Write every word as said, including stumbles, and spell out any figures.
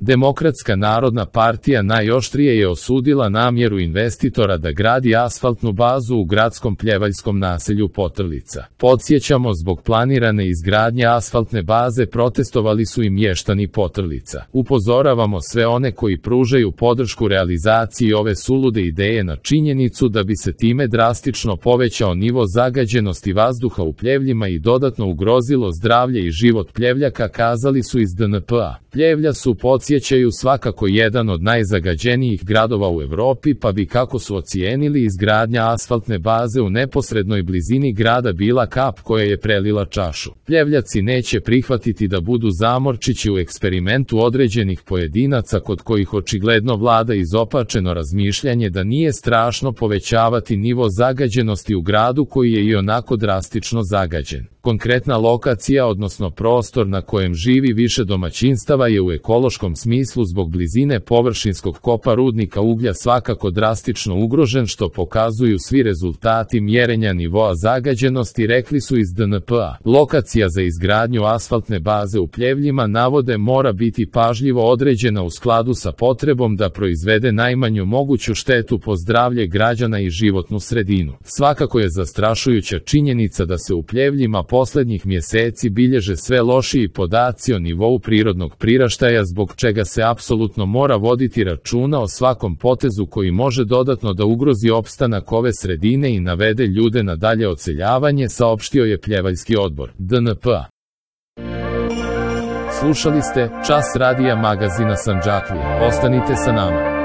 Demokratska narodna partija najoštrije je osudila namjeru investitora da gradi asfaltnu bazu u gradskom pljevaljskom naselju Potrlica. Podsjećamo, zbog planirane izgradnje asfaltne baze protestovali su i mještani Potrlica. Upozoravamo sve one koji pružaju podršku realizaciji ove sulude ideje na činjenicu da bi se time drastično povećao nivo zagađenosti vazduha u Pljevljima i dodatno ugrozilo zdravlje i život Pljevljaka, kazali su iz D N P A. Pljevlja su, podsjećaju, svakako jedan od najzagađenijih gradova u Evropi, pa bi, kako su ocijenili, izgradnja asfaltne baze u neposrednoj blizini grada bila kap koja je prelila čašu. Pljevljaci neće prihvatiti da budu zamorčići u eksperimentu određenih pojedinaca kod kojih očigledno vlada izopačeno razmišljanje da nije strašno povećavati nivo zagađenosti u gradu koji je i onako drastično zagađen. Konkretna lokacija, odnosno prostor na kojem živi više domaćinstava, je u ekološkom smislu zbog blizine površinskog kopa rudnika uglja svakako drastično ugrožen, što pokazuju svi rezultati mjerenja nivoa zagađenosti, rekli su iz D N P A. Lokacija za izgradnju asfaltne baze u Pljevljima, navode, mora biti pažljivo određena u skladu sa potrebom da proizvede najmanju moguću štetu po zdravlje građana i životnu sredinu. Svakako je zastrašujuća činjenica da se u Pljevljima poslednjih mjeseci bilježe sve lošiji podaci o nivou prirodnog priraštaja, zbog čega se apsolutno mora voditi računa o svakom potezu koji može dodatno da ugrozi opstanak ove sredine i navede ljude na dalje odseljavanje, saopštio je Pljevaljski odbor D N P A. Slušali ste Čas radija magazina Sandžaklija. Ostanite sa nama.